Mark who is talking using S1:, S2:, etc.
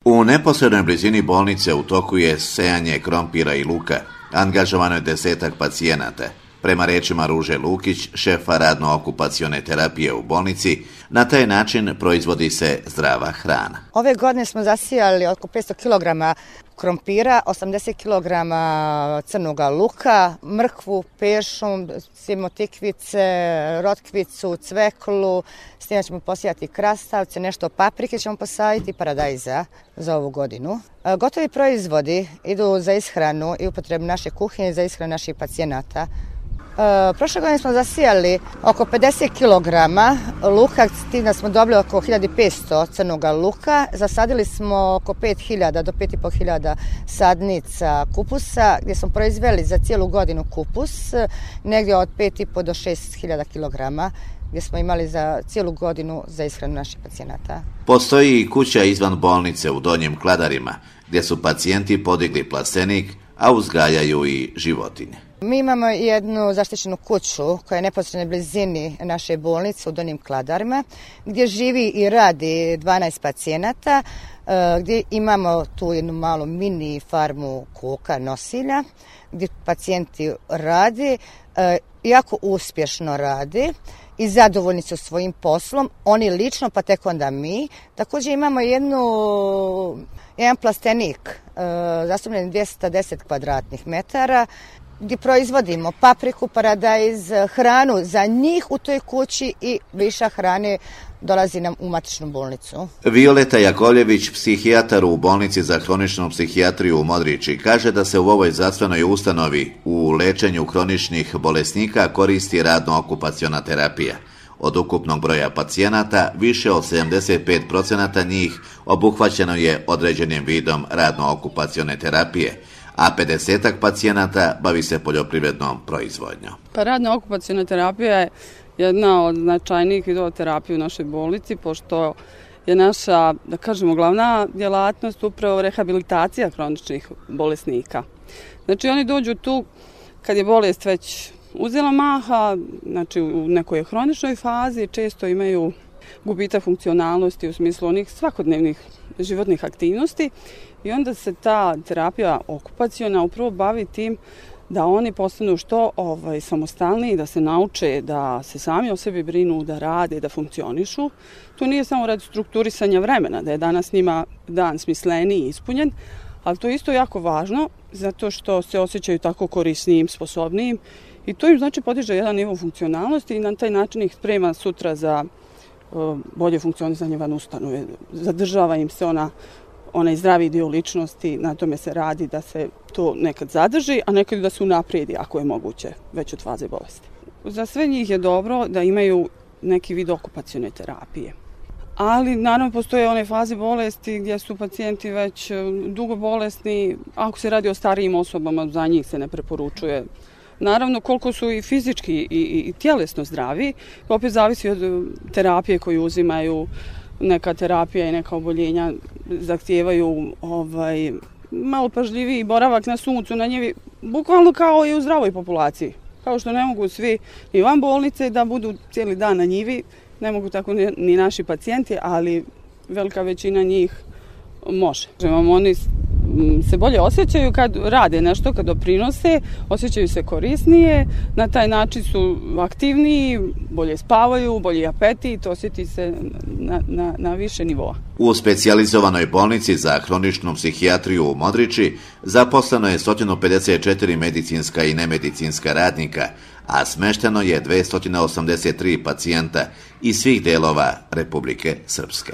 S1: U neposrednoj blizini bolnice u toku je sejanje krompira i luka. Angažovano je 10-ak pacijenata. Prema rečima Ruže Lukić, šefa radno-okupacione terapije u bolnici, na taj način proizvodi se zdrava hrana.
S2: Ove godine smo zasijali oko 500 kg krompira, 80 kg crnog luka, mrkvu, pešum, tikvice, rotkvicu, cveklu, s tim ćemo posijati krastavce, nešto paprike ćemo posaditi, paradajza za ovu godinu. Gotovi proizvodi idu za ishranu i upotrebu naše kuhinje, za ishranu naših pacijenata. Prošle godine smo zasijali oko 50 kg luka, s tim da smo dobili oko 1500 crnog luka. Zasadili smo oko 5000 do 5500 sadnica kupusa, gdje smo proizveli za cijelu godinu kupus, negdje od 5,5 do 6000 kg, gdje smo imali za cijelu godinu za ishranu naših pacijenata.
S1: Postoji i kuća izvan bolnice u Donjim Kladarima, gdje su pacijenti podigli plastenik, a uzgajaju i životinje.
S2: Mi imamo jednu zaštićenu kuću koja je neposrednoj blizini naše bolnice u Donjim Kladarima, gdje živi i radi 12 pacijenata, gdje imamo tu jednu malu mini farmu koka nosilja, gdje pacijenti rade, jako uspješno rade i zadovoljni su svojim poslom, oni lično, pa tek onda mi. Također imamo jedan plastenik zastupljen 210 kvadratnih metara, gdje proizvodimo papriku, paradajz, hranu za njih u toj kući i višak hrane dolazi nam u matičnu bolnicu.
S1: Violeta Jakovljević, psihijatar u bolnici za hroničnu psihijatriju u Modriči, kaže da se u ovoj zdravstvenoj ustanovi u lečenju hroničnih bolesnika koristi radno-okupaciona terapija. Od ukupnog broja pacijenata, više od 75% njih obuhvaćeno je određenim vidom radno-okupacione terapije, a 50-ak pacijenata bavi se poljoprivrednom proizvodnjom.
S3: Radno-okupaciona terapija je jedna od značajnijih vidova terapije u našoj bolnici, pošto je naša, da kažemo, glavna djelatnost upravo rehabilitacija hroničnih bolesnika. Znači oni dođu tu kad je bolest već uzela maha, znači u nekoj hroničnoj fazi, često imaju gubitak funkcionalnosti u smislu onih svakodnevnih životnih aktivnosti i onda se ta terapija okupaciona upravo bavi tim da oni postanu što samostalniji, da se nauče da se sami o sebi brinu, da rade, da funkcionišu. To nije samo radi strukturisanja vremena, da je danas njima dan smisleniji i ispunjen, ali to je isto jako važno zato što se osjećaju tako korisnijim, sposobnijim i to im znači podiže jedan nivo funkcionalnosti i na taj način ih sprema sutra za bolje funkcionisanje van ustanove. Zadržava im se onaj zdravi dio ličnosti, na tome se radi da se to nekad zadrži, a nekad da se unaprijedi ako je moguće već od faze bolesti. Za sve njih je dobro da imaju neki vid okupacione terapije. Ali naravno postoje one faze bolesti gdje su pacijenti već dugo bolesni, ako se radi o starijim osobama, za njih se ne preporučuje. Naravno, koliko su i fizički i tjelesno zdravi, opet zavisi od terapije koju uzimaju. Neka terapija i neka oboljenja zahtijevaju malo pažljiviji boravak na suncu, na njivi, bukvalno kao i u zdravoj populaciji. Kao što ne mogu svi i van bolnice da budu cijeli dan na njivi, ne mogu tako ni naši pacijenti, ali velika većina njih može. Oni se bolje osjećaju kad rade nešto, kad doprinose, osjećaju se korisnije, na taj način su aktivniji, bolje spavaju, bolji apetit, osjeti se na više nivoa.
S1: U specijalizovanoj bolnici za hroničnu psihijatriju u Modriči zaposleno je 154 medicinska i nemedicinska radnika, a smešteno je 283 pacijenta iz svih delova Republike Srpske.